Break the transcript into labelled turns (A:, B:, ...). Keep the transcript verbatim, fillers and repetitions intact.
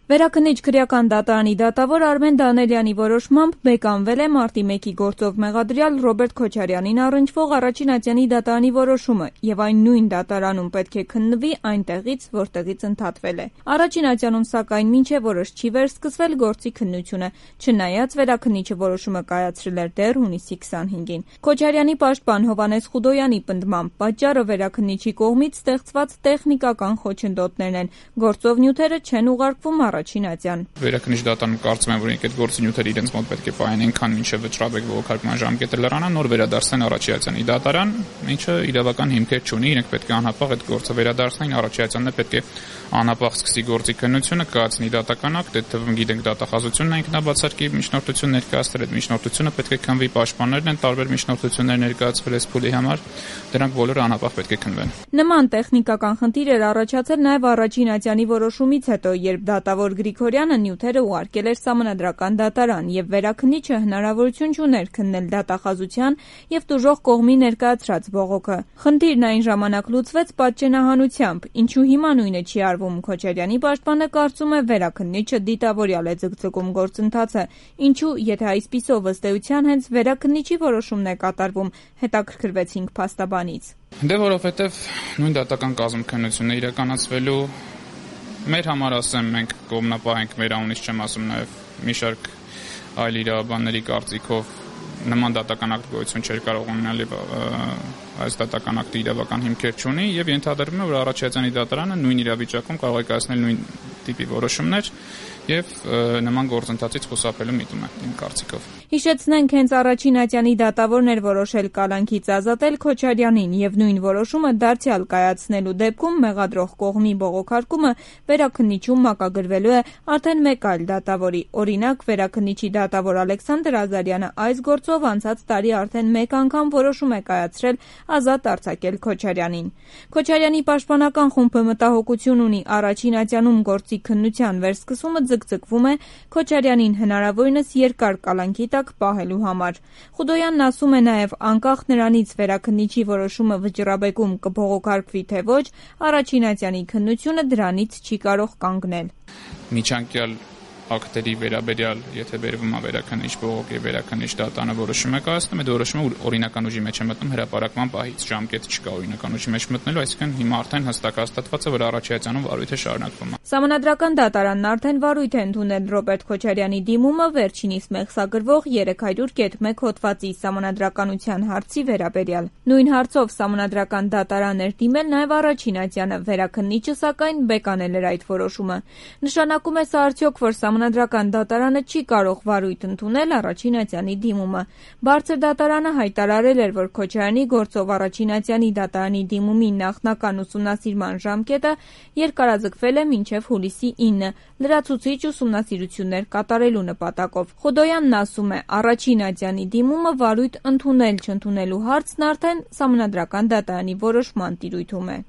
A: Վերաքննիչ քրեական դատարանի դատավոր Արմեն Դանելյանի որոշմամբ բեկանվել է մարտի մեկի գործով մեղադրյալ Ռոբերտ Քոչարյանին առնչվող առաջին ատյանի դատարանի որոշումը եւ այն նույն դատարանում պետք է քննվի այնտեղից, որտեղից ընդհատվել է։ Առաջին ատյանում, սակայն, մինչեւ օրս չի վերսկսվել գործի քննությունը, չնայած վերաքննիչը որոշումը կայացրել էր դեռ հունիսի քսանհինգին։ Քոչարյանի պաշտպան Հովհաննես Խուդոյանի պնդմամբ պատճառը վերաքննիչի կողմից ստեղծված տեխնիկական խոչընդոտներն են, գործով նյութերը չեն ուղարկվում առաջին ատյան։
B: Վերաքննիչ դատարանում կարծում եմ, որ այդ գործի նյութերը իրենց մոտ պետք է պահեն այնքան, մինչև վճռաբեկ բողոքարկման ժամկետը լրանա, նոր վերադարձնեն առաջին ատյանի դատարան, ինչը իրավական հիմքեր չունի, իրենք պետք է անհապաղ այդ գործը վերադարձնեն, առաջին ատյանն է պետք է անհապաղ սկսի գործի քննությունը, կայացնի դատական ակտ, այդ թվում գիտենք դատախազությունն է ինքնաբացարկի միջնորդություն ներկայացրել, այդ միջնորդությունը պետք է քննվի, պաշտպաններն են տարբեր միջնորդություններ ներկայացվել այս փուլի համար, դրանք բոլորը անհապաղ պետք է քննվեն։
A: Նման տեխնիկական խնդիր էր առաջացել նաև առաջին ատյանի որոշումից հետո, երբ դատավոր Գրիգորյանը նյութերը ուղարկել էր Սահմանադրական դատարան եւ վերաքննիչը հնարավորություն չուներ քննել դատախազության եւ տուժող կողմի ներկայացրած բողոքը։ Խնդիրն այն ժամանակ լուծվեց պատճենահանությամբ, ինչու հիմա նույնը չի արվում։ Քոչարյանի պաշտպանը կարծում է, վերաքննիչը դիտավորյալ է ձգձգում գործընթացը, ինչու, եթե այսպիսով ըստ էության հենց վերաքննիչի որոշումն է կատարվում, հետաքրքրվեցինք փաստաբանից։
B: Դե որովհետեւ նույն դատական կազմ քննությունը իրականացվելու մեր համար ասեմ, մենք կողմնապահ ենք, մեր անունից չեմ ասում, նաև մի շարք այլ իրավաբանների կարծիքով նման դատական ակտ գոյություն չէր կարող ունենալ եւ այս դատական ակտը իրավական հիմքեր չունի եւ ենթադրվում է, որ առաջին ատյանի դատարանը նույն իրավիճակում կարող է կայացնել նույն տիպի որոշումներ եւ նման գործընթացից խուսափելու միտում է իմ կարծիքով։
A: Հիշեցնենք, հենց առաջին ատյանի դատավորն էր որոշել կալանքից ազատել Քոչարյանին եւ նույն որոշումը դարձյալ կայացնելու դեպքում մեղադրող կողմի բողոքարկումը վերաքննիչում մակագրվելու է արդեն մեկ այլ դատավորի։ Օրինակ, վերաքննիչի դատավոր Ալեքսանդր Ազարյանը այս գործով անցած տարի արդեն մեկ անգամ որոշում է կայացրել ազատ արձակել Քոչարյանին։ Քոչարյանի պաշտպանական խումբը մտահոգություն ունի առաջին ատյանում գործի քննության վերսկսումը ձգձգվում է Քոչարյանին հնարավորինս երկար կալանքի տակ պահելու համար։ Խուդոյանն ասում է նաև, անկախ նրանից վերաքննիչի որոշումը վճռաբեկում կբողոքարկվի թե ոչ, առաջին ատյանի քննությունը դրանից չի կարող կանգնել։
B: Միջանկյալ ակտերի վերաբերյալ, եթե վերվում է վերաքննիչ բողոք եւ վերաքննիչ դատարանը որոշում է կայացնում, այդ որոշումը օրինական ուժի մեջ է մտնում հրապարակման պահից, ժամկետ չկա օրինական ուժի մեջ մտնելու, այսինքն հիմա արդեն հստակ հաստատված է, որ առաջին ատյանում վարույթը շարունակվում է։
A: Սահմանադրական դատարանն արդեն վարույթ է ընդունել Ռոբերտ Քոչարյանի դիմումը վերջինիս մեղսագրվող երեք հարյուր կետ մեկ հոդվածի սահմանադրականության հարցի վերաբերյալ։ Նույն հարցով սահմանադրական դատարան էր դիմել նաև առաջին ատյանը, վերաքննիչը սակայն բեկանել էր այդ որոշումը։ Նշանակում է սա արդյոք, որ Սահմանադրական դատարանը չի կարող վարույթ ընդունել առաջին ատյանի դիմումը։ Բարձր դատարանը հայտարարել էր, որ Քոչարյանի գործով առաջին ատյանի դատարանի դիմումի նախնական ուսումնասիրման ժամկետը երկարաձգվել է մինչև հուլիսի ինը, լրացուցիչ ուսումնասիրություններ կատարելու նպատակով։ Խուդոյանն ասում է, առաջին ատյանի դիմումը վարույթ ընդունել-չընդունելու հարցն արդեն Սահմանադրական դատարանի որոշման տիրույթում է։